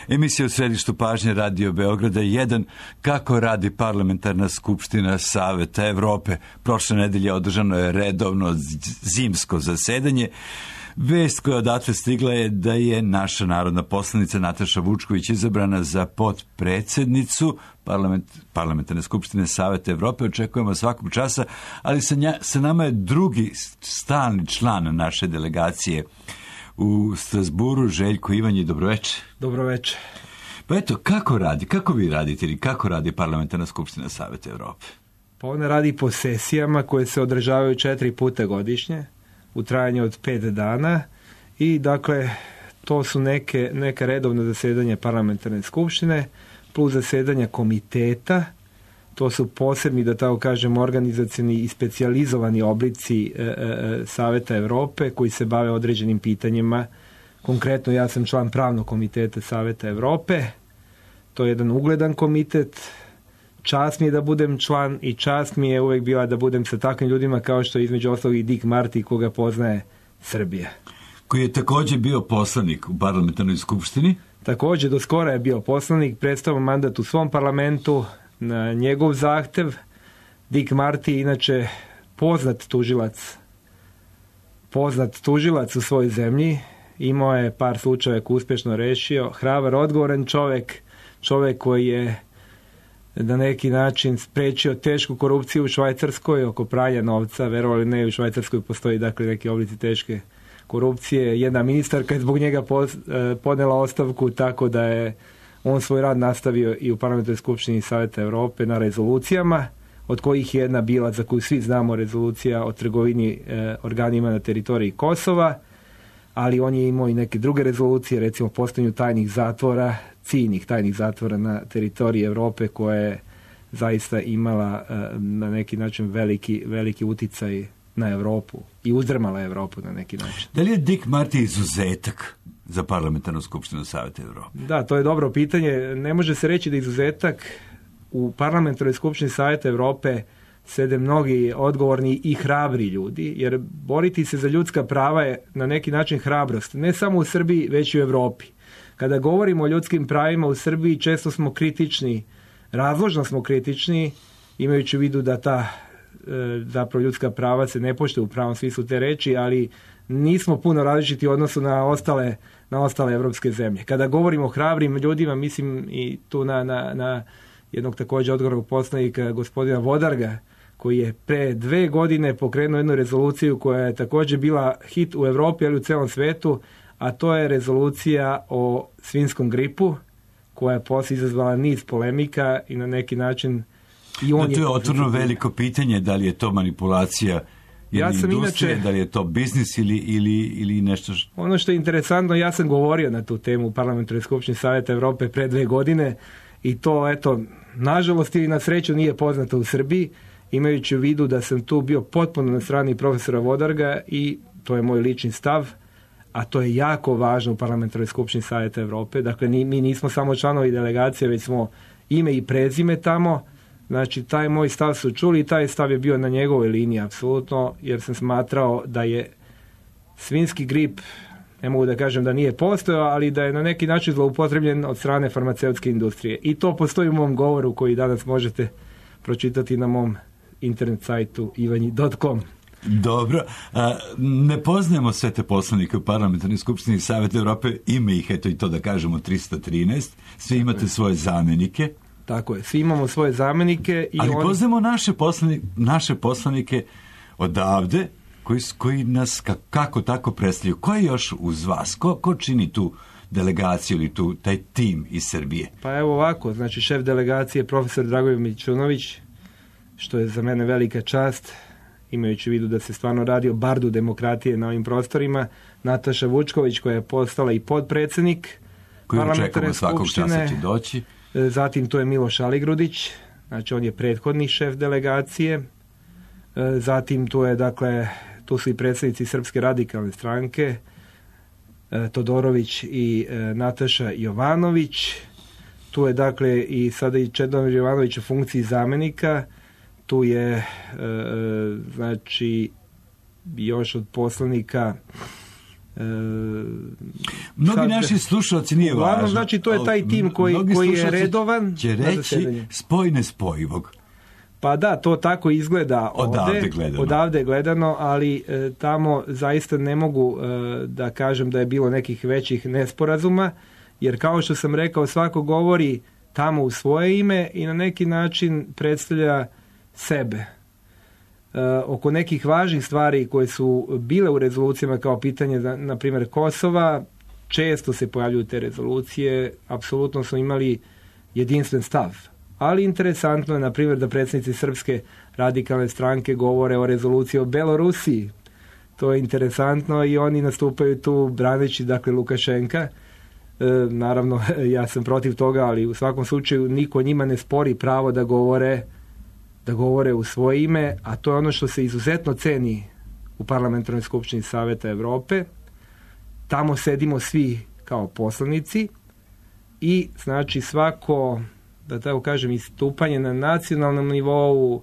Emisija u središtu pažnje Radio Beograda 1. Kako radi Parlamentarna skupština Saveta Evrope. Prošle nedelje održano je redovno zimsko zasedanje. Vest koja odatle stigla je da je naša narodna poslanica Nataša Vučković izabrana za potpredsednicu Parlamentarne skupštine Saveta Evrope. Očekujemo svakog časa, ali sa nama je drugi stalni član naše delegacije u Strasburu, Željko Ivanji. Dobroveče. Dobroveče. Pa eto, kako vi radite ili kako radi Parlamentarna skupština Saveta Evrope? Pa ona radi po sesijama koje se održavaju 4 puta godišnje u trajanju od 5 dana i dakle to su neka redovna zasedanja Parlamentarne skupštine plus zasedanja komiteta. To su posebni, da tako kažem, organizacioni i specijalizovani oblici Saveta Evrope koji se bave određenim pitanjima. Konkretno ja sam član pravnog komiteta Saveta Evrope. To je jedan ugledan komitet. Čast mi je da budem član i čast mi je uvek bila da budem sa takvim ljudima kao što je između ostalog i Dick Marty, koga poznaje Srbija. Koji je također bio poslanik u Parlamentarnoj skupštini. Također, do skora je bio poslanik, predstavio mandat u svom parlamentu na njegov zahtev. Dick Marty, inače poznat tužilac u svojoj zemlji, imao je par slučajeva koji uspješno rešio, hrabar, odgovoran čovjek koji je na neki način sprečio tešku korupciju u Švajcarskoj oko pranja novca. Verovali ne, u Švajcarskoj postoji dakle neki oblici teške korupcije. Jedna ministarka je zbog njega podnela ostavku, tako da je on svoj rad nastavio i u Parlamentarnoj skupštini Saveta Evrope na rezolucijama, od kojih je jedna bila, za koju svi znamo, rezolucija o trgovini organima na teritoriji Kosova, ali on je imao i neke druge rezolucije, recimo postojanju ciljnih tajnih zatvora na teritoriji Evrope, koja je zaista imala na neki način veliki uticaj na Evropu i uzdrmala Evropu na neki način. Da li je Dick Marty izuzetak za Parlamentarnu skupštinu Saveta Evrope? Da, to je dobro pitanje. Ne može se reći da je izuzetak. U Parlamentarnoj skupštini Saveta Evrope sede mnogi odgovorni i hrabri ljudi, jer boriti se za ljudska prava je na neki način hrabrost. Ne samo u Srbiji, već i u Evropi. Kada govorimo o ljudskim pravima u Srbiji, često smo kritični, razložno smo kritični, imajući u vidu da ta zapravo ljudska prava se ne poštuje u pravom smislu te reči, ali nismo puno različiti u odnosu na ostale evropske zemlje. Kada govorimo o hrabrim ljudima, mislim i tu na jednog također odgovornog poslanika, gospodina Vodarga, koji je pre 2 godine pokrenuo jednu rezoluciju koja je također bila hit u Evropi, ali u celom svetu, a to je rezolucija o svinjskom gripu, koja je poslije izazvala niz polemika i na neki način i on to je otvoreno veliko pitanje, da li je to manipulacija industrije, da li je to biznis ili nešto Ono što je interesantno, ja sam govorio na tu temu u Parlamentarnoj skupštini Saveta Evrope pre 2 godine i to, eto, nažalost ili na sreću nije poznato u Srbiji, imajući u vidu da sam tu bio potpuno na strani profesora Vodarga i to je moj lični stav, a to je jako važno u Parlamentarnoj skupštini Saveta Evrope. Dakle, mi nismo samo članovi delegacije, već smo ime i prezime tamo. Znači, taj moj stav su čuli i taj stav je bio na njegovoj liniji, apsolutno, jer sam smatrao da je svinjski grip, ne mogu da kažem da nije postojao, ali da je na neki način zloupotrebljen od strane farmaceutske industrije. I to postoji u mom govoru koji danas možete pročitati na mom internet sajtu ivanji.com. Dobro. Ne poznajemo sve te poslanike u Parlamentarnoj skupštini Saveta Evrope, ima ih, eto i to da kažemo 313, svi imate svoje zamenike. Tako je, svi imamo svoje zamenike. Ali poznajemo naše poslanike odavde koji nas kako tako predstavljaju. Ko je još uz vas? Ko čini tu delegaciju ili taj tim iz Srbije? Pa evo ovako, znači šef delegacije profesor Dragoljub Mićunović, što je za mene velika čast, imajući u vidu da se stvarno radi o bardu demokratije na ovim prostorima. Nataša Vučković, koja je postala i potpredsjednik Parlamentarne skupštine. Će doći. Zatim tu je Miloš Aligrudić, znači on je prethodni šef delegacije. Zatim tu su i predsjednici Srpske radikalne stranke, Todorović i Nataša Jovanović. Tu je dakle i sada i Čedomir Jovanović u funkciji zamenika. Tu je znači još od poslanika Mnogi naši slušalci nije važno. Znači, to je taj tim koji je redovan. Će reći spoj nespojivog. Pa da, to tako izgleda odavde gledano, ali tamo zaista ne mogu da kažem da je bilo nekih većih nesporazuma, jer kao što sam rekao, svako govori tamo u svoje ime i na neki način predstavlja sebe. Oko nekih važnih stvari koje su bile u rezolucijama kao pitanje, na primjer Kosova, često se pojavljuju te rezolucije, apsolutno smo imali jedinstven stav. Ali interesantno je, na primjer, da predsjednici Srpske radikalne stranke govore o rezoluciji o Belorusiji. To je interesantno i oni nastupaju tu braneći, dakle, Lukašenka. Naravno, ja sam protiv toga, ali u svakom slučaju niko njima ne spori pravo da govore u svoje ime, a to je ono što se izuzetno ceni u Parlamentarnoj skupštini Saveta Evrope. Tamo sedimo svi kao poslanici i znači svako, da tako kažem, istupanje na nacionalnom nivou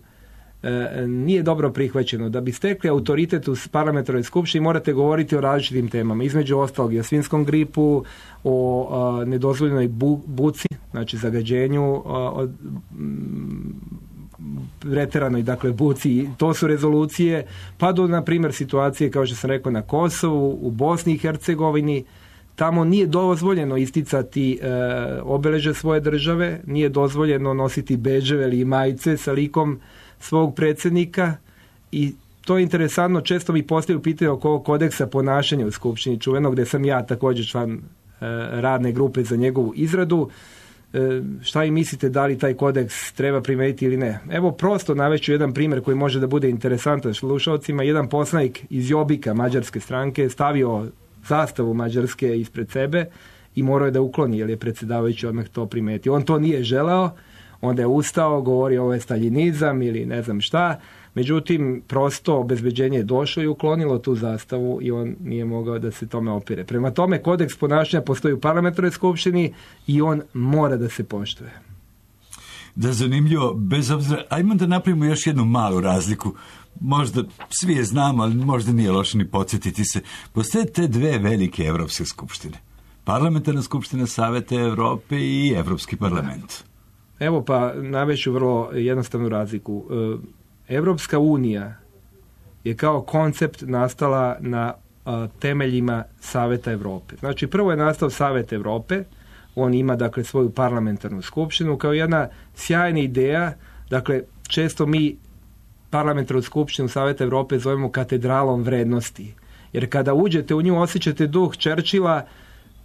nije dobro prihvaćeno. Da bi stekli autoritet u Parlamentarnoj skupštini morate govoriti o različitim temama, između ostalog i o svinjskom gripu, o nedozvoljenoj buci, znači zagađenju, preteranoj, dakle, buci. To su rezolucije, pa do, na primjer, situacije, kao što sam rekao, na Kosovu, u Bosni i Hercegovini. Tamo nije dozvoljeno isticati obeležje svoje države, nije dozvoljeno nositi bedževe ili majice sa likom svog predsjednika i to je interesantno. Često mi postavljaju pitanje oko kodeksa ponašanja u Skupštini čuvenog, gdje sam ja također član radne grupe za njegovu izradu. Šta vi mislite, da li taj kodeks treba primijeniti ili ne? Evo, prosto navešću jedan primjer koji može da bude interesantan slušalcima. Jedan poslanik iz Jobbika, mađarske stranke, stavio zastavu Mađarske ispred sebe i morao je da ukloni, jer je predsjedavajući odmah to primetio. On to nije želeo, onda je ustao, govorio ovo je staljinizam ili ne znam šta. Međutim, prosto obezbeđenje je došlo i uklonilo tu zastavu i on nije mogao da se tome opire. Prema tome, kodeks ponašanja postoji u Parlamentarnoj skupštini i on mora da se poštuje. Da, zanimljivo, bez obzira, ajmo da napravimo još jednu malu razliku. Možda svi je znamo, ali možda nije loše ni podsjetiti se. Postoje te dve velike evropske skupštine. Parlamentarna skupština Saveta Evrope i Evropski parlament. Evo, pa navešću vrlo jednostavnu razliku. Evropska unija je kao koncept nastala na temeljima Saveta Evrope. Znači, prvo je nastao Savet Evrope, on ima, dakle, svoju parlamentarnu skupštinu kao jedna sjajna ideja. Dakle, često mi parlamentarnu skupštinu Saveta Evrope zovemo katedralom vrednosti, jer kada uđete u nju osjećate duh Churchilla,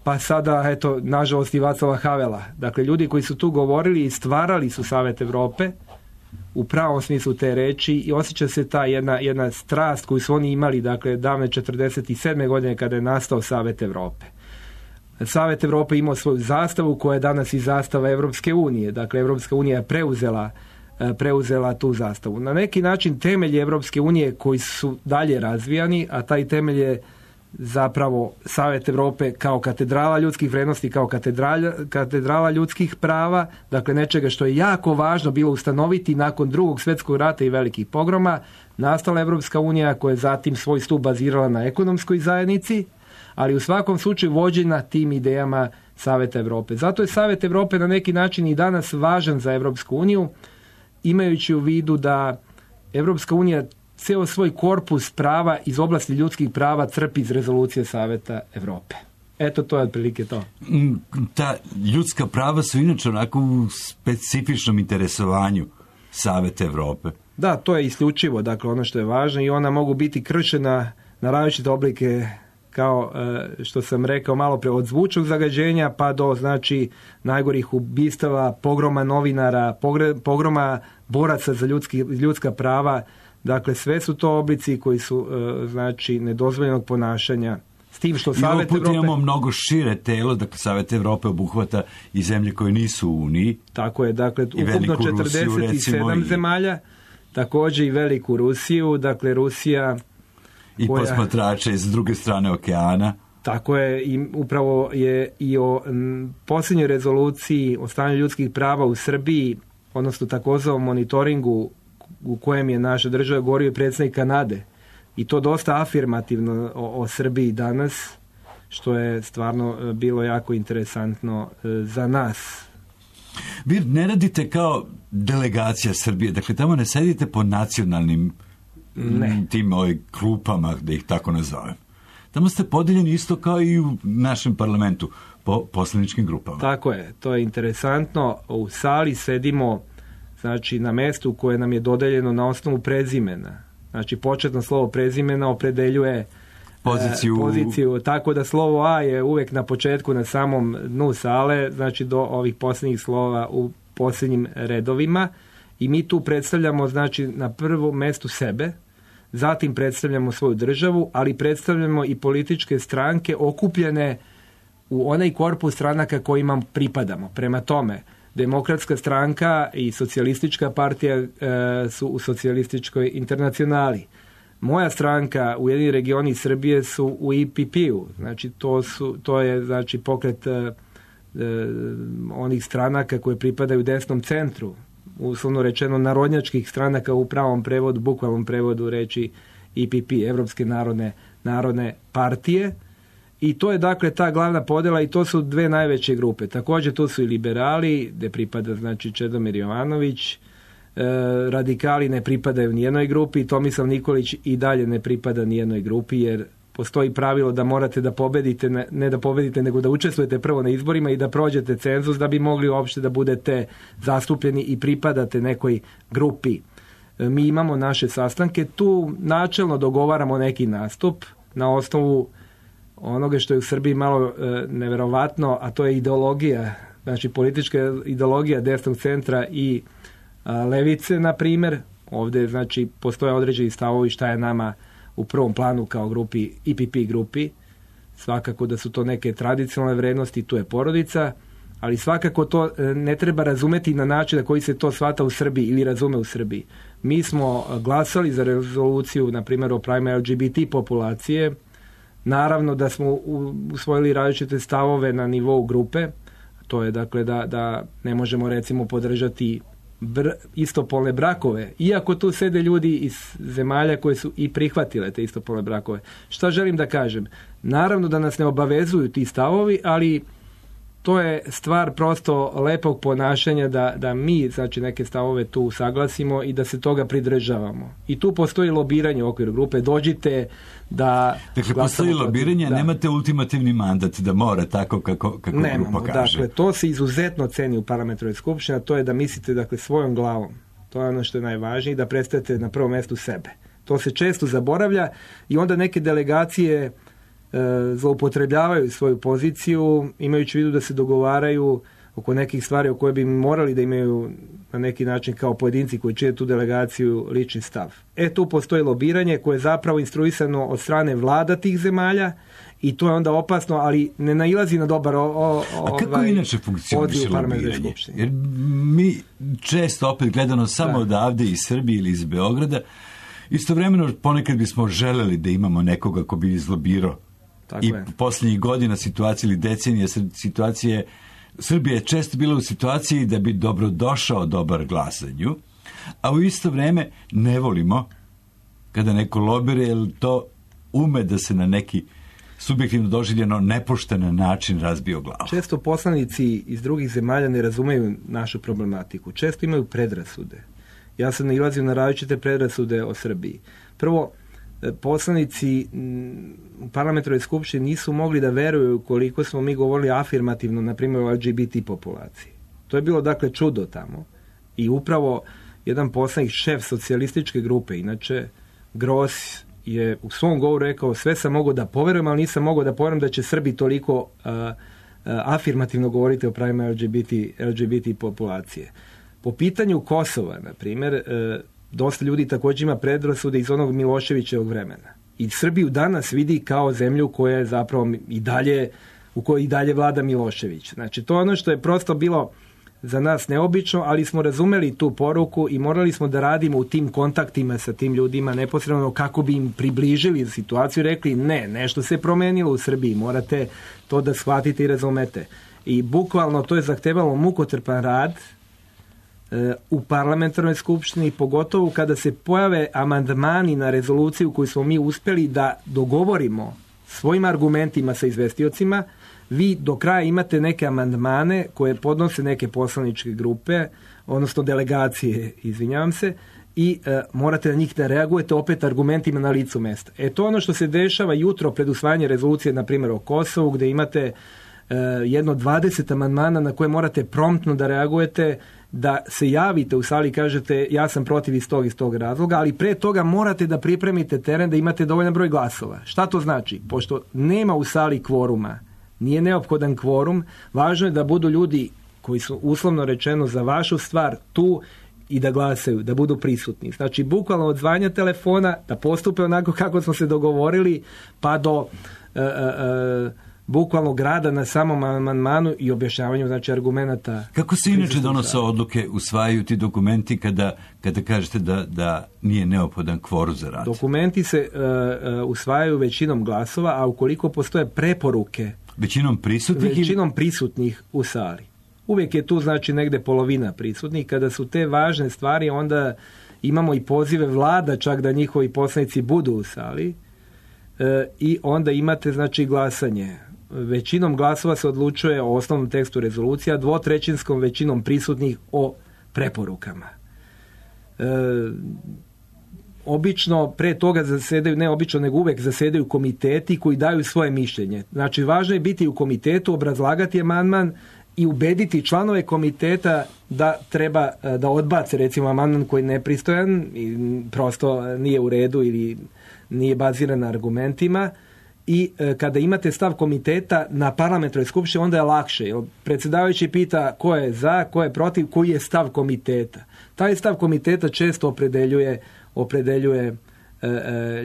pa sada, eto, nažalost i Václava Havela. Dakle, ljudi koji su tu govorili i stvarali su Savet Evrope u pravom smislu te reči i osjeća se ta jedna strast koju su oni imali, dakle, davne 47. godine kada je nastao Savet Evrope. Savet Evrope imao svoju zastavu koja je danas i zastava Evropske unije. Dakle, Evropska unija je preuzela tu zastavu. Na neki način temelji Evropske unije koji su dalje razvijani, a taj temelj je zapravo Savet Evrope kao katedrala ljudskih vrijednosti, kao katedrala ljudskih prava, dakle nečega što je jako važno bilo ustanoviti nakon Drugog svjetskog rata i velikih pogroma. Nastala Evropska unija koja je zatim svoj stup bazirala na ekonomskoj zajednici, ali u svakom slučaju vođena tim idejama Saveta Evrope. Zato je Savet Evrope na neki način i danas važan za Evropsku uniju, imajući u vidu da Evropska unija ceo svoj korpus prava iz oblasti ljudskih prava crpi iz rezolucije Saveta Evrope. Eto, to je otprilike to. Ta ljudska prava su inače onako u specifičnom interesovanju Saveta Evrope. Da, to je isključivo, dakle, ono što je važno i ona mogu biti kršena na različite oblike, kao što sam rekao malo pre, od zvučnog zagađenja pa do, znači, najgorih ubistava, pogroma novinara, pogroma boraca za ljudska prava. Dakle, sve su to oblici koji su, znači, nedozvoljenog ponašanja. S tim što Savet Evrope... imamo mnogo šire telo, dakle, Savet Evrope obuhvata i zemlje koje nisu u Uniji. Tako je, dakle, ukupno 47 zemalja, također i veliku Rusiju, dakle, Rusija... I posmatrače iz druge strane okeana. Tako je, i upravo je i o posljednjoj rezoluciji o stanju ljudskih prava u Srbiji, odnosno takozvanom monitoringu u kojem je naša država govorio predsjednik Kanade. I to dosta afirmativno o Srbiji danas. što je stvarno bilo jako interesantno za nas. Vi ne radite kao delegacija Srbije, dakle tamo ne sedite po nacionalnim tim klupama, da ih tako nazovem. Tamo ste podeljeni isto kao i u našem parlamentu, po poslaničkim grupama. Tako je, to je interesantno. U sali sedimo, znači, na mestu koje nam je dodeljeno na osnovu prezimena. Znači, početno slovo prezimena opredeljuje poziciju, tako da slovo A je uvek na početku, na samom dnu sale, znači do ovih posljednjih slova u posljednjim redovima, i mi tu predstavljamo, znači, na prvom mestu sebe, zatim predstavljamo svoju državu, ali predstavljamo i političke stranke okupljene u onaj korpus stranaka kojima pripadamo. Prema tome, Demokratska stranka i Socijalistička partija su u Socijalističkoj internacionali. Moja stranka, Ujedinjeni regioni Srbije, su u IPP-u. Znači, to je znači pokret onih stranaka koje pripadaju desnom centru, uslovno rečeno narodnjačkih stranaka u pravom prevodu, bukvalnom prevodu reči IPP, Evropske narodne partije. I to je dakle ta glavna podjela i to su dve najveće grupe. Također tu su i liberali, gde pripada znači Čedomir Jovanović, radikali ne pripadaju nijednoj grupi, Tomislav Nikolić i dalje ne pripada nijednoj grupi, jer postoji pravilo da morate da pobedite, ne da pobedite, nego da učestvujete prvo na izborima i da prođete cenzus da bi mogli uopšte da budete zastupljeni i pripadate nekoj grupi. Mi imamo naše sastanke, tu načelno dogovaramo neki nastup na osnovu onoga što je u Srbiji malo neverovatno, a to je ideologija, znači politička ideologija desnog centra i levice, na primjer. Ovdje znači postoje određeni stavovi šta je nama u prvom planu kao grupi, IPP grupi. Svakako da su to neke tradicionalne vrednosti, tu je porodica, ali svakako to ne treba razumeti na način na koji se to shvata u Srbiji ili razume u Srbiji. Mi smo glasali za rezoluciju, na primjer, o pravima LGBT populacije. Naravno da smo usvojili različite stavove na nivou grupe. To je dakle da ne možemo recimo podržati istopolne brakove, iako tu sede ljudi iz zemalja koje su i prihvatile te istopolne brakove. Šta želim da kažem? Naravno da nas ne obavezuju ti stavovi, ali to je stvar prosto lepog ponašanja da mi znači neke stavove tu saglasimo i da se toga pridržavamo. I tu postoji lobiranje u okviru grupe. Dođite da... Dakle, postoji lobiranje, da. Nemate ultimativni mandat da mora tako kako grupa kaže. Dakle, to se izuzetno ceni u parlamentarnoj skupštini, a to je da mislite dakle svojom glavom. To je ono što je najvažnije, da predstavite na prvom mjestu sebe. To se često zaboravlja i onda neke delegacije zloupotrebljavaju svoju poziciju, imajući u vidu da se dogovaraju oko nekih stvari o koje bi morali da imaju na neki način kao pojedinci koji čine tu delegaciju lični stav. Tu postoji lobiranje koje je zapravo instruisano od strane vlada tih zemalja i to je onda opasno, ali ne nailazi na dobar A kako inače funkcioniše lobiranje? Jer mi često opet gledano samo odavde iz Srbije ili iz Beograda, istovremeno ponekad bismo želeli da imamo nekoga ko bi izlobirao. I posljednjih godina situacije ili decenija situacije Srbija je često bila u situaciji da bi dobrodošao dobar glas za nju, a u isto vreme ne volimo kada neko lobira, jer to ume da se na neki subjektivno doživljeno nepošten način razbije o glavu. Često poslanici iz drugih zemalja ne razumeju našu problematiku. Često imaju predrasude. Ja sam nailazio na različite predrasude o Srbiji. Prvo, poslanici u parlamentarnoj skupštini nisu mogli da veruju koliko smo mi govorili afirmativno, na primjer, o LGBT populaciji. To je bilo dakle čudo tamo. I upravo jedan poslanik, šef socijalističke grupe, inače Gros, je u svom govoru rekao: sve sam mogao da poverujem, ali nisam mogao da poverujem da će Srbi toliko afirmativno govoriti o pravima LGBT populacije. Po pitanju Kosova, na primjer, dosta ljudi također ima predrasude iz onog Miloševićevog vremena. I Srbiju danas vidi kao zemlju koja je zapravo u kojoj i dalje vlada Milošević. Znači, to je ono što je prosto bilo za nas neobično, ali smo razumeli tu poruku i morali smo da radimo u tim kontaktima sa tim ljudima neposredno kako bi im približili situaciju i rekli: ne, nešto se promenilo u Srbiji, morate to da shvatite i razumete. I bukvalno to je zahtevalo mukotrpan rad u parlamentarnoj skupštini, pogotovo kada se pojave amandmani na rezoluciju koju smo mi uspjeli da dogovorimo svojim argumentima sa izvestiocima, vi do kraja imate neke amandmane koje podnose neke poslaničke grupe, odnosno delegacije, izvinjavam se, i morate na njih da reagujete opet argumentima na licu mesta. To ono što se dešava jutro pred usvajanje rezolucije, na primjer o Kosovu, gdje imate jedno 20 amandmana na koje morate promptno da reagujete, da se javite u sali i kažete ja sam protiv iz tog razloga, ali pre toga morate da pripremite teren da imate dovoljan broj glasova. Šta to znači? Pošto nema u sali kvoruma, nije neophodan kvorum, važno je da budu ljudi koji su uslovno rečeno za vašu stvar tu i da glasaju, da budu prisutni. Znači, bukvalno od zvanja telefona, da postupe onako kako smo se dogovorili, pa do bukvalno grada na samom amandmanu i objašnjavanju, znači, argumenata. Kako se inače donose odluke, usvajaju ti dokumenti kada kažete da nije neophodan kvorum za rad? Dokumenti se usvajaju većinom glasova, a ukoliko postoje preporuke većinom prisutnih u sali. Uvijek je tu, znači, negde polovina prisutnih. Kada su te važne stvari, onda imamo i pozive vlada čak da njihovi poslanici budu u sali i onda imate, znači, glasanje. Većinom glasova se odlučuje o osnovnom tekstu rezolucija, 2/3 većinom prisutnih o preporukama. Obično pre toga zasedaju, ne obično, nego uvek zasedaju komiteti koji daju svoje mišljenje. Znači, važno je biti u komitetu, obrazlagati amandman i ubediti članove komiteta da treba da odbace, recimo, amandman koji je nepristojan i prosto nije u redu ili nije baziran na argumentima. I kada imate stav komiteta na parlamentarnoj skupštini, onda je lakše. Predsjedavajući pita ko je za, ko je protiv, koji je stav komiteta. Taj stav komiteta često opredeljuje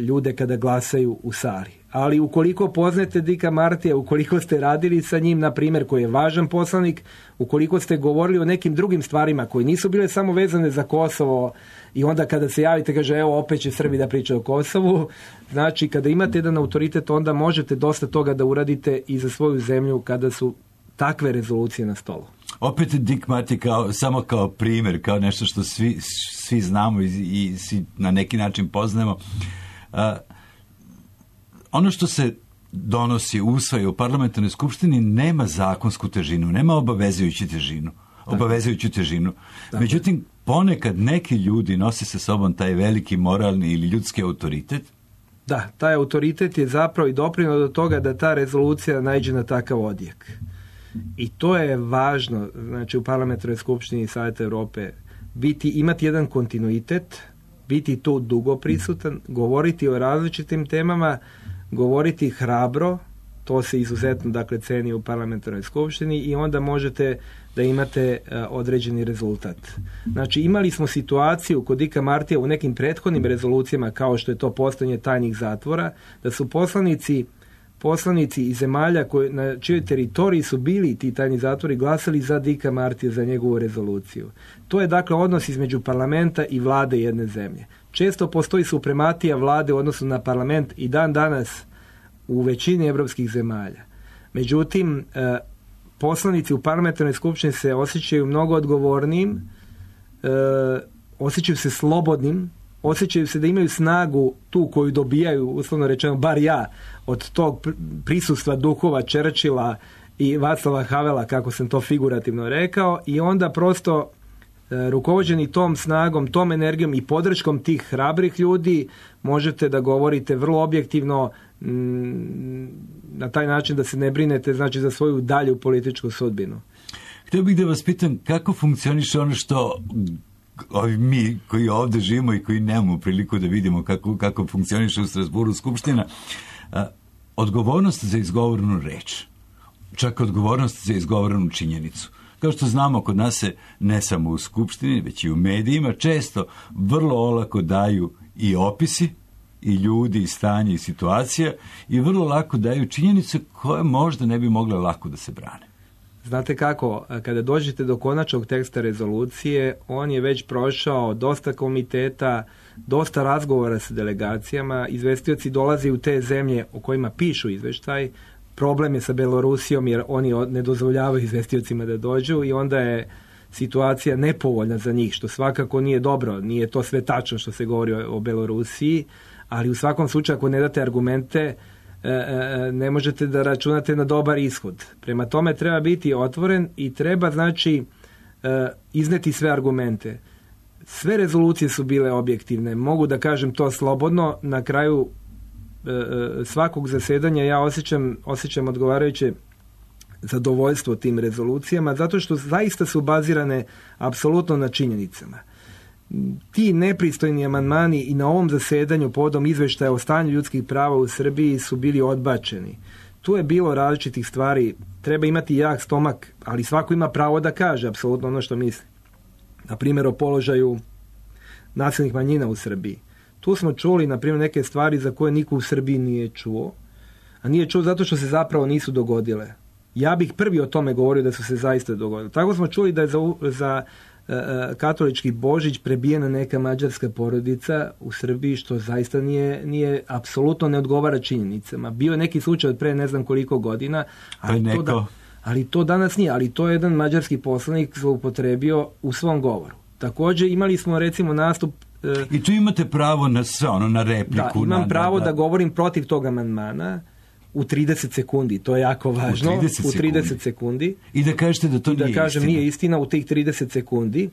ljude kada glasaju u sali. Ali ukoliko poznate Dicka Martija, ukoliko ste radili sa njim, na primjer, koji je važan poslanik, ukoliko ste govorili o nekim drugim stvarima koji nisu bile samo vezane za Kosovo i onda kada se javite, kaže, evo, opet će Srbi da pričaju o Kosovu, znači, kada imate jedan autoritet, onda možete dosta toga da uradite i za svoju zemlju kada su takve rezolucije na stolu. Opet Dick Marty samo kao primjer, kao nešto što svi znamo i svi na neki način poznajemo. Ono što se donosi, usvaja u parlamentarnoj skupštini nema zakonsku težinu, nema obavezujuću težinu. Međutim, ponekad neki ljudi nose sa sobom taj veliki moralni ili ljudski autoritet. Da, taj autoritet je zapravo i doprinio do toga da ta rezolucija naiđe na takav odjek. I to je važno, znači, u parlamentarnoj skupštini Saveta Europe imati jedan kontinuitet, biti tu dugo prisutan, govoriti o različitim temama, govoriti hrabro, to se izuzetno, dakle, ceni u parlamentarnoj skupštini i onda možete da imate određeni rezultat. Znači, imali smo situaciju kod Dicka Martija u nekim prethodnim rezolucijama, kao što je to postojanje tajnih zatvora, da su poslanici iz zemalja na čijoj teritoriji su bili ti tajni zatvori glasali za Dicka Martija, za njegovu rezoluciju. To je, dakle, odnos između parlamenta i vlade jedne zemlje. Često postoji suprematija vlade u odnosu na parlament i dan danas u većini evropskih zemalja. Međutim, poslanici u parlamentarnoj skupštini se osjećaju mnogo odgovornijim, osjećaju se slobodnim, osjećaju se da imaju snagu tu koju dobijaju, uslovno rečeno, bar ja, od tog prisustva duhova Churchilla i Václava Havela, kako sam to figurativno rekao, i onda prosto rukovođeni tom snagom, tom energijom i podrškom tih hrabrih ljudi možete da govorite vrlo objektivno, na taj način da se ne brinete, znači, za svoju dalju političku sudbinu. Htio bih da vas pitam kako funkcioniše ono što mi koji ovdje živimo i koji nemamo priliku da vidimo kako funkcioniše u Strasburu skupština, odgovornost za izgovorenu reč, čak odgovornost za izgovorenu činjenicu. Kao što znamo, kod nas se ne samo u skupštini, već i u medijima često vrlo olako daju i opisi, i ljudi, i stanje, i situacija, i vrlo lako daju činjenice koje možda ne bi mogle lako da se brane. Znate kako, kada dođete do konačnog teksta rezolucije, on je već prošao dosta komiteta, dosta razgovora sa delegacijama, izvestioci dolaze u te zemlje o kojima pišu izveštaj. Problem je sa Belorusijom jer oni ne dozvoljavaju izvestiocima da dođu i onda je situacija nepovoljna za njih, što svakako nije dobro. Nije to sve tačno što se govori o Belorusiji, ali u svakom slučaju ako ne date argumente, ne možete da računate na dobar ishod. Prema tome treba biti otvoren i treba znači izneti sve argumente. Sve rezolucije su bile objektivne, mogu da kažem to slobodno. Na kraju svakog zasedanja ja osjećam odgovarajuće zadovoljstvo tim rezolucijama, zato što zaista su bazirane apsolutno na činjenicama. Ti nepristojni amandmani i na ovom zasedanju povodom izveštaja o stanju ljudskih prava u Srbiji su bili odbačeni. Tu je bilo različitih stvari, treba imati jak stomak, ali svako ima pravo da kaže apsolutno ono što misli. Na primjer o položaju nacionalnih manjina u Srbiji. Tu smo čuli, na primjer, neke stvari za koje niko u Srbiji nije čuo, a nije čuo zato što se zapravo nisu dogodile. Ja bih prvi o tome govorio da su se zaista dogodile. Tako smo čuli da je za katolički Božić prebijena neka mađarska porodica u Srbiji, što zaista nije apsolutno ne odgovara činjenicama. Bio je neki slučaj od pre ne znam koliko godina, ali to danas nije. Ali to je jedan mađarski poslanik zloupotrebio u svom govoru. Također imali smo recimo nastup... I tu imate pravo na sve ono, na repliku. Da, imam pravo da govorim protiv tog amandmana u 30 sekundi. To je jako važno. U 30 sekundi. I da kažete da to nije istina. I da kažem nije istina u tih 30 sekundi.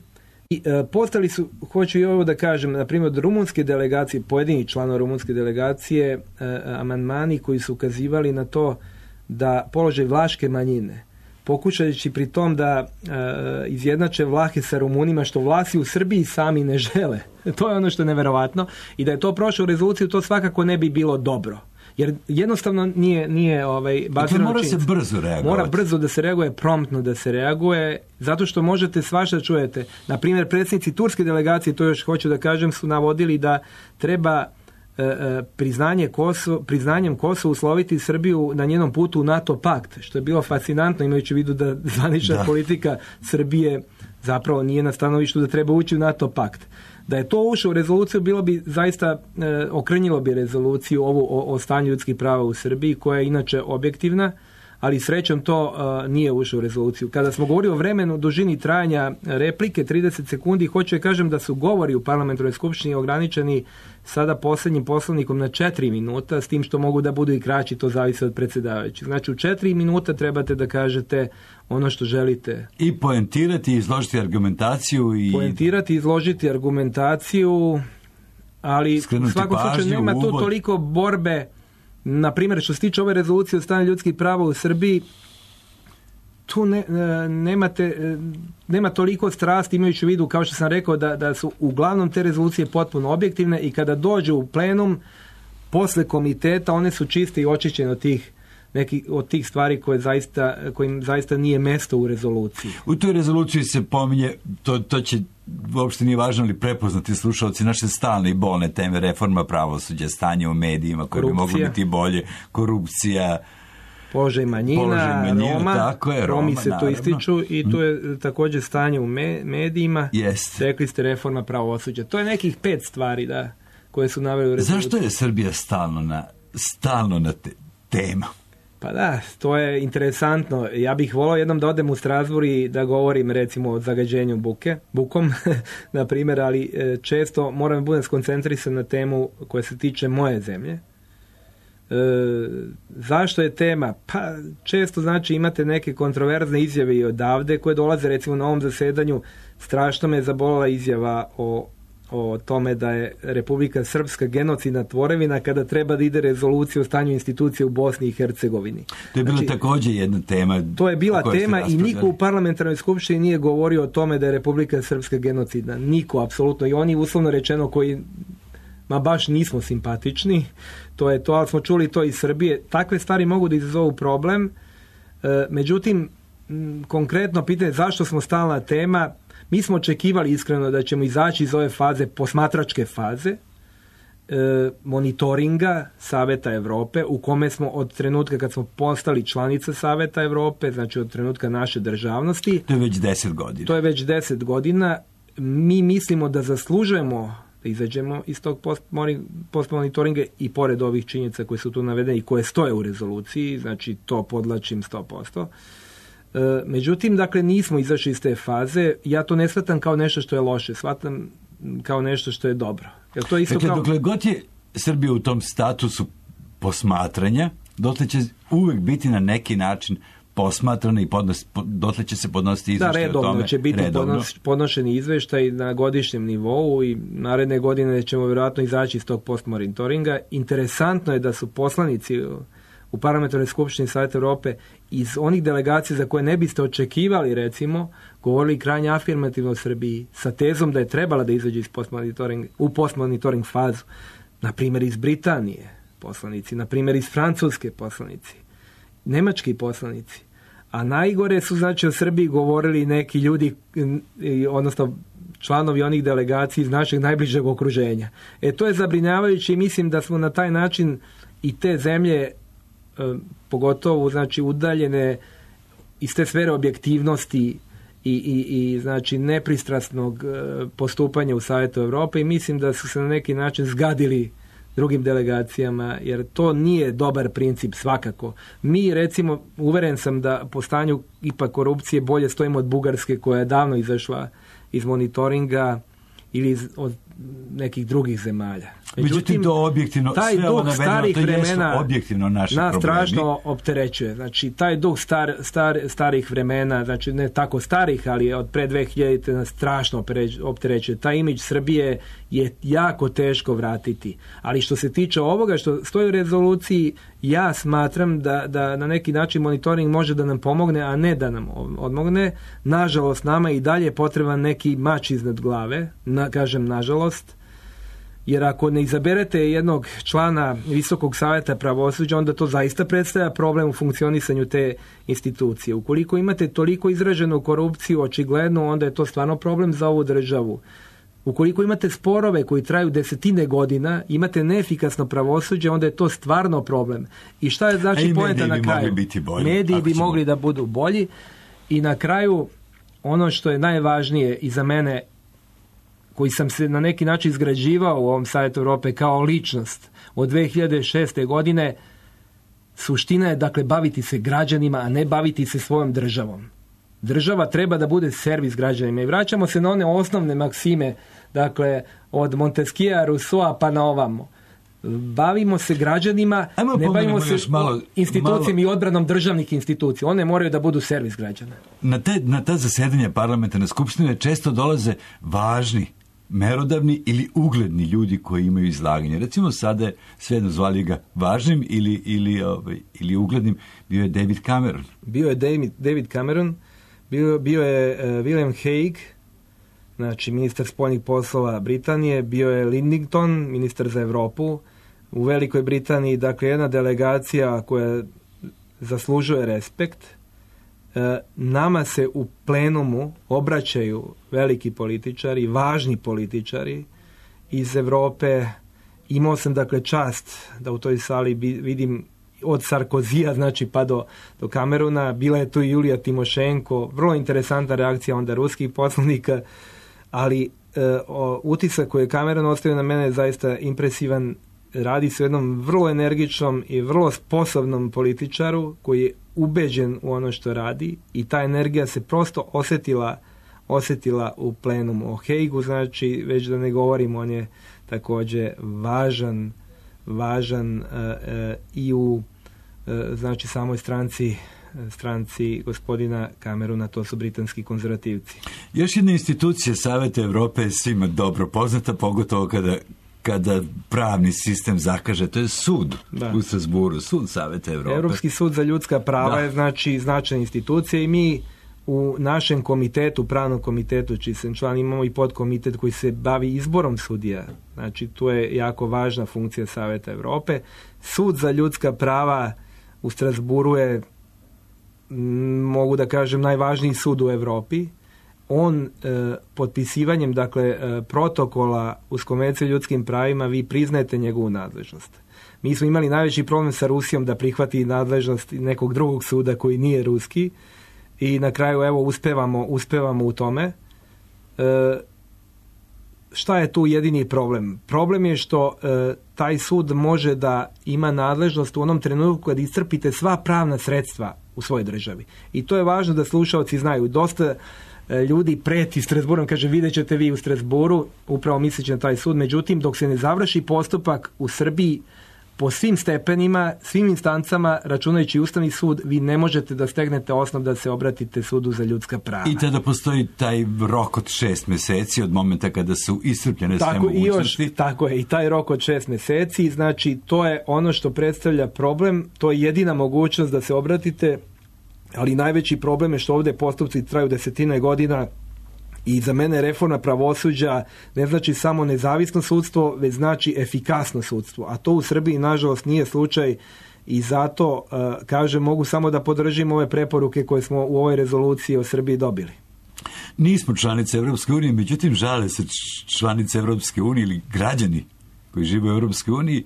I postali su, hoću i ovo da kažem, na primjer od rumunske delegacije, pojedini članova rumunske delegacije, amandmani koji su ukazivali na to da položaj vlaške manjine, pokušajući pri tom da izjednače Vlahe sa Rumunima, što Vlasi u Srbiji sami ne žele. To je ono što je neverovatno. I da je to prošlo u rezoluciju, to svakako ne bi bilo dobro. Jer jednostavno nije bazirano mora se brzo reagovati. Mora brzo da se reaguje, promptno da se reaguje, zato što možete svašta čujete. Na primjer, predsjednici turske delegacije, to još hoću da kažem, su navodili da treba priznanjem Kosova usloviti Srbiju na njenom putu u NATO pakt, što je bilo fascinantno, imajući u vidu da zvanična politika Srbije zapravo nije na stanovištu da treba ući u NATO pakt. Da je to ušlo u rezoluciju, bilo bi zaista, okrnjilo bi rezoluciju ovu o stanju ljudskih prava u Srbiji, koja je inače objektivna, ali srećom to nije ušlo u rezoluciju. Kada smo govorili o vremenu, dužini trajanja replike, 30 sekundi, hoću da kažem da su govori u parlamentarnoj skupštini ograničeni sada posljednjim poslovnikom na 4 minuta, s tim što mogu da budu i kraći, to zavisi od predsjedavajućih. Znači u 4 minuta trebate da kažete ono što želite. I poentirati, izložiti argumentaciju. Poentirati, izložiti argumentaciju, ali u svakom slučaju nema tu toliko borbe. Na primjer, što se tiče ove rezolucije o stanju ljudskih prava u Srbiji, tu nema toliko strasti, imajući u vidu, kao što sam rekao, da su uglavnom te rezolucije potpuno objektivne i kada dođu u plenum, posle komiteta, one su čiste i očišćene od tih stvari kojim zaista nije mesto u rezoluciji. U toj rezoluciji se pominje, to će uopšte nije važno li prepoznati slušalci, naše stalne i bolne teme, reforma pravosuđa, stanje u medijima koje bi moglo biti bolje, korupcija, položaj manjina, Roma, tako je, Romi se to ističu i tu je također stanje u medijima. Rekli ste reforma pravosuđa. To je nekih 5 stvari koje su naveli u rezoluciji. Zašto je Srbija stalno na tema? Pa da, to je interesantno. Ja bih volao jednom da odem u Strasbourg i da govorim recimo o zagađenju bukom, na primjer, ali često moram da budem skoncentrisan na temu koja se tiče moje zemlje. Zašto je tema? Pa često znači imate neke kontroverzne izjave i odavde koje dolaze, recimo na ovom zasedanju strašno me je zabolila izjava o tome da je Republika Srpska genocidna tvorevina kada treba da ide rezolucija o stanju institucije u Bosni i Hercegovini. To je bila također jedna tema. To je bila tema i niko u parlamentarnoj skupštini nije govorio o tome da je Republika Srpska genocidna. Niko, apsolutno. I oni uslovno rečeno koji baš nismo simpatični, to je to, ali smo čuli to iz Srbije. Takve stvari mogu da izazovu problem. Međutim, konkretno pitanje zašto smo stalna tema, mi smo očekivali iskreno da ćemo izaći iz ove faze, posmatračke faze, monitoringa Saveta Evrope, u kome smo od trenutka kad smo postali članica Saveta Evrope, znači od trenutka naše državnosti. To je već 10 godina. To je već 10 godina. Mi mislimo da zaslužujemo da izađemo iz tog postmonitoringa i pored ovih činjenica koje su tu navedene i koje stoje u rezoluciji, znači to podlačim 100%. Međutim, dakle, nismo izašli iz te faze. Ja to ne shvatam kao nešto što je loše, shvatam kao nešto što je dobro. Jer to je isto dakle, dokle god je Srbija u tom statusu posmatranja, dotle će uvek biti na neki način posmatrano i dotle će se podnositi izveštaj o tome. Redovno će biti podnošeni izveštaj na godišnjem nivou i naredne godine ćemo vjerojatno izaći iz tog postmonitoringa. Interesantno je da su poslanici u Parlamentarnoj skupštini Saveta Europe iz onih delegacija za koje ne biste očekivali, recimo, govorili krajnje afirmativno o Srbiji sa tezom da je trebala da izađe iz u postmonitoring fazu. Na primjer iz Britanije poslanici, na primjer iz Francuske poslanici, nemački poslanici. A najgore su, znači, o Srbiji govorili neki ljudi, odnosno članovi onih delegacija iz našeg najbližeg okruženja. To je zabrinjavajuće i mislim da smo na taj način i te zemlje pogotovo, znači, udaljene iz te sfere objektivnosti i znači nepristrasnog postupanja u Savjetu Europe i mislim da su se na neki način zgadili drugim delegacijama, jer to nije dobar princip svakako. Mi, recimo, uveren sam da po stanju ipak korupcije bolje stojimo od Bugarske koja je davno izašla iz monitoringa ili od nekih drugih zemalja. Međutim, to objektivno, taj duh starih vremena objektivno naše nas problemi. strašno opterećuje. Znači, taj duh starih vremena, znači ne tako starih, ali od pre 2000 nas strašno opterećuje. Taj imidž Srbije je jako teško vratiti. Ali što se tiče ovoga što stoji u rezoluciji, ja smatram da na neki način monitoring može da nam pomogne, a ne da nam odmogne. Nažalost, nama i dalje je potreban neki mač iznad glave. Kažem nažalost. Jer ako ne izaberete jednog člana Visokog savjeta pravosuđa, onda to zaista predstavlja problem u funkcionisanju te institucije. Ukoliko imate toliko izraženu korupciju, očigledno, onda je to stvarno problem za ovu državu. Ukoliko imate sporove koji traju desetine godina, imate neefikasno pravosuđe, onda je to stvarno problem. I šta je znači poenta na kraju? Mediji bi mogli da budu bolji. I na kraju, ono što je najvažnije i za mene, koji sam se na neki način izgrađivao u ovom Savjetu Europe kao ličnost od 2006. godine, suština je, dakle, baviti se građanima, a ne baviti se svojom državom. Država treba da bude servis građanima. I vraćamo se na one osnovne maksime, dakle, od Montesquieu'a, Rousseaua pa na ovamo. Bavimo se građanima, ne bavimo se institucijama i odbranom državnih institucija. One moraju da budu servis građana. Na ta zasedanja parlamentarne skupštine često dolaze važni, merodavni ili ugledni ljudi koji imaju izlaganje. Recimo sada je svejedno zvali ga važnim ili uglednim, bio je David Cameron. Bio je David Cameron, bio je William Hague, znači ministar spoljnih poslova Britanije, bio je Lidington, ministar za Europu u Velikoj Britaniji, dakle jedna delegacija koja zaslužuje respekt. Nama se u plenumu obraćaju veliki političari, važni političari iz Europe. Imao sam, dakle, čast da u toj sali vidim od Sarkozija, znači, pa do Camerona. Bila je tu i Julija Timošenko, vrlo interesantna reakcija onda ruskih poslanika, ali utisak koji je Cameron ostavio na mene je zaista impresivan. Radi se o jednom vrlo energičnom i vrlo sposobnom političaru koji je ubeđen u ono što radi i ta energija se prosto osjetila u plenumu. O Hejgu, znači, već da ne govorim, on je također važan i u znači samoj stranci gospodina Camerona, to su britanski konzervativci. Još jedna institucija Saveta Europe je svima dobro poznata, pogotovo kada pravni sistem zakaže, to je sud u Strasbourgu, sud Saveta Europe. Europski sud za ljudska prava je, znači, značajna institucija i mi u našem komitetu, pravnom komitetu, čiji sam član, imamo i podkomitet koji se bavi izborom sudija. Znači, tu je jako važna funkcija Saveta Europe. Sud za ljudska prava u Strasbourgu je, mogu da kažem, najvažniji sud u Europi. On potpisivanjem, dakle, protokola uz Konvenciju o ljudskim pravima, vi priznajete njegovu nadležnost. Mi smo imali najveći problem sa Rusijom da prihvati nadležnost nekog drugog suda koji nije ruski i na kraju, evo, uspevamo u tome. Šta je tu jedini problem? Problem je što taj sud može da ima nadležnost u onom trenutku kad iscrpite sva pravna sredstva u svojoj državi. I to je važno da slušaoci znaju. Dosta ljudi preti Strasbourgom, kaže, vidjet ćete vi u Strasbourgu, upravo misleći na taj sud. Međutim, dok se ne završi postupak u Srbiji, po svim stepenima, svim instancama, računajući Ustavni sud, vi ne možete da stegnete osnov da se obratite sudu za ljudska prava. I tada postoji taj rok od 6 mjeseci od momenta kada su iscrpljene sve mogućnosti. Tako je, i taj rok od 6 mjeseci, znači to je ono što predstavlja problem, to je jedina mogućnost da se obratite, ali najveći problem je što ovdje postupci traju desetine godina. I za mene reforma pravosuđa ne znači samo nezavisno sudstvo, već znači efikasno sudstvo. A to u Srbiji, nažalost, nije slučaj i zato, kažem, mogu samo da podržim ove preporuke koje smo u ovoj rezoluciji o Srbiji dobili. Nismo članice Europske unije, međutim žale se članice Europske unije ili građani koji žive u Europskoj uniji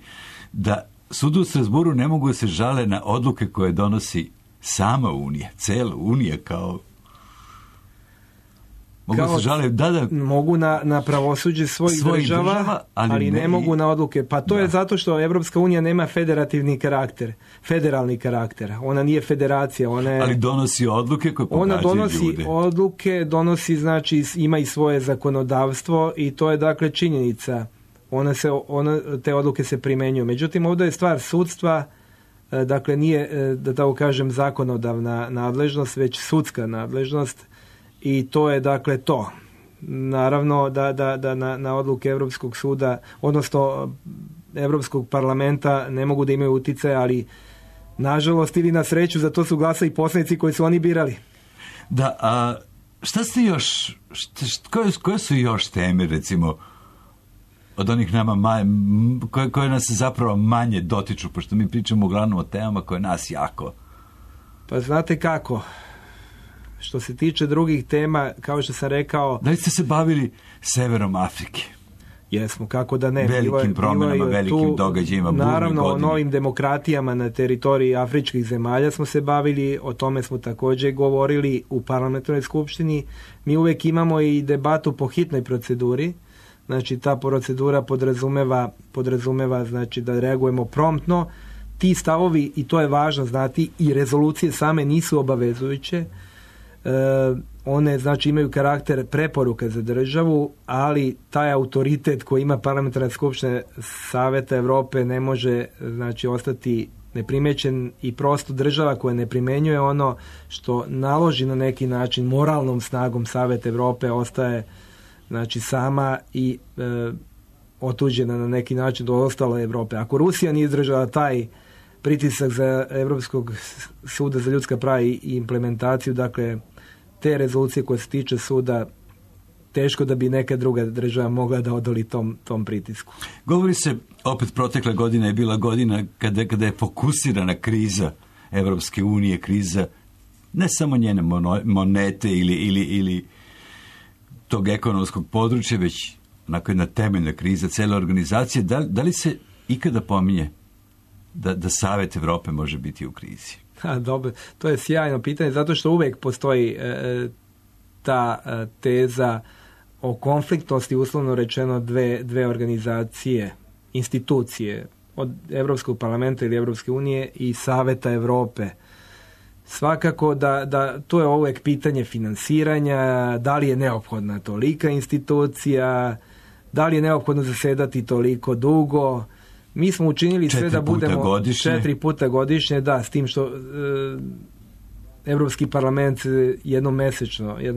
da sudu u Strasburu ne mogu se žale na odluke koje donosi sama Unija, cela Unija kao... Mogu na pravosuđe svojih država, ali ne mogu na odluke. Pa to je zato što Evropska unija nema federalni karakter. Ona nije federacija. Ali donosi odluke koje pogađaju ljude. Donosi, znači, ima i svoje zakonodavstvo i to je, dakle, činjenica. Te odluke se primenjuju. Međutim, ovdje je stvar sudstva, dakle, nije, da tako kažem, zakonodavna nadležnost, već sudska nadležnost. I to je, dakle, to. Naravno da na odluke Europskog suda, odnosno Europskog parlamenta ne mogu da imaju utjecaj, ali nažalost ili na sreću za to su glasali poslanici koji su oni birali. Da, a šta ste još, koje su još teme, recimo, od onih nama koje nas zapravo manje dotiču, pošto mi pričamo uglavnom o temama koje nas jako... Pa znate kako... Što se tiče drugih tema, kao što sam rekao... Da li ste se bavili severom Afrike? Jesmo, kako da ne. Velikim promjenama, velikim događajima. Naravno, o novim demokratijama na teritoriji afričkih zemalja smo se bavili, o tome smo također govorili u parlamentarnoj skupštini. Mi uvijek imamo i debatu po hitnoj proceduri. Znači, ta procedura podrazumeva znači, da reagujemo promptno. Ti stavovi, i to je važno znati, i rezolucije same nisu obavezujuće. One, znači, imaju karakter preporuka za državu, ali taj autoritet koji ima parlamentarna skupština Saveta Europe ne može, znači, ostati neprimećen i prosto država koja ne primenjuje ono što naloži na neki način moralnom snagom Saveta Europe ostaje, znači, sama i otuđena na neki način do ostale Europe. Ako Rusija nije izdržala taj pritisak za Europskog suda za ljudska prava i implementaciju, dakle, te rezolucije koje se tiče suda, teško da bi neka druga država mogla da odoli tom pritisku. Govori se, opet protekla godina je bila godina kada je fokusirana kriza Evropske unije, kriza ne samo njene monete ili tog ekonomskog područja, već onako jedna temeljna kriza cele organizacije. Da li se ikada pominje da Savet Evrope može biti u krizi? Dobro, to je sjajno pitanje, zato što uvijek postoji ta teza o konfliktnosti, uslovno rečeno, dve organizacije, institucije, od Europskog parlamenta ili Europske unije i Saveta Europe. Svakako da to je uvijek pitanje finansiranja, da li je neophodna tolika institucija, da li je neophodno zasedati toliko dugo. Mi smo učinili sve da budemo 4 puta godišnje, da, s tim što Europski parlament jednom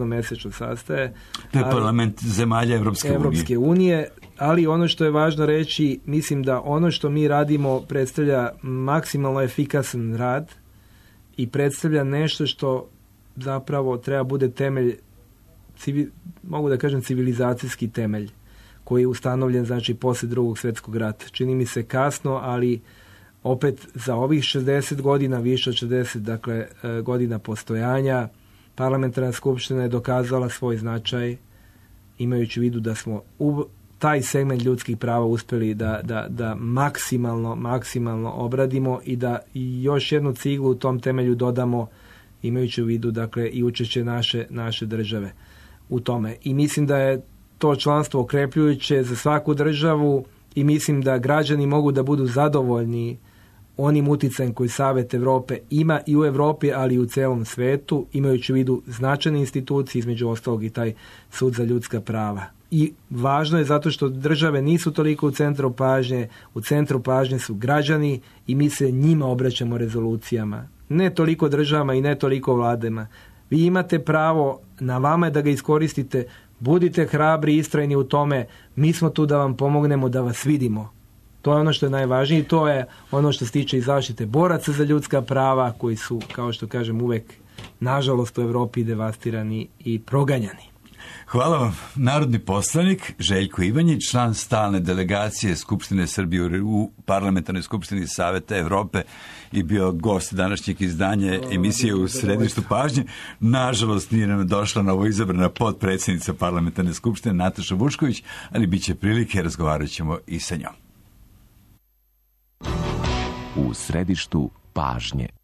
mesečno sastaje. To je parlament zemalja Europske unije. Ali ono što je važno reći, mislim da ono što mi radimo predstavlja maksimalno efikasan rad i predstavlja nešto što zapravo treba bude temelj, mogu da kažem civilizacijski temelj, koji je ustanovljen, znači, poslije Drugog svjetskog rata. Čini mi se kasno, ali opet za ovih 60 godina, više od 60, dakle, godina postojanja, parlamentarna skupština je dokazala svoj značaj, imajući u vidu da smo u taj segment ljudskih prava uspjeli da maksimalno obradimo i da još jednu ciglu u tom temelju dodamo, imajući u vidu, dakle, i učešće naše države u tome. I mislim da je to članstvo okrepljujuće za svaku državu i mislim da građani mogu da budu zadovoljni onim utjecajem koji Savet Europe ima i u Europi, ali i u celom svetu, imajući u vidu značajne institucije, između ostalog i taj sud za ljudska prava. I važno je zato što države nisu toliko u centru pažnje su građani i mi se njima obraćamo rezolucijama. Ne toliko državama i ne toliko vladama. Vi imate pravo, na vama je da ga iskoristite, budite hrabri i istrajni u tome, mi smo tu da vam pomognemo, da vas vidimo. To je ono što je najvažnije i to je ono što se tiče i zaštite boraca za ljudska prava koji su, kao što kažem, uvek nažalost u Europi devastirani i proganjani. Hvala vam. Narodni poslanik Željko Ivanjić, član stalne delegacije Skupštine Srbije u Parlamentarnoj skupštini Saveta Evrope i bio gost današnjeg izdanja emisije U središtu pažnje. Nažalost, nije nam došla novo izabrana potpredsjednica Parlamentarne skupštine Nataša Vučković, ali bit će prilike, razgovarat ćemo i sa njom. U središtu pažnje.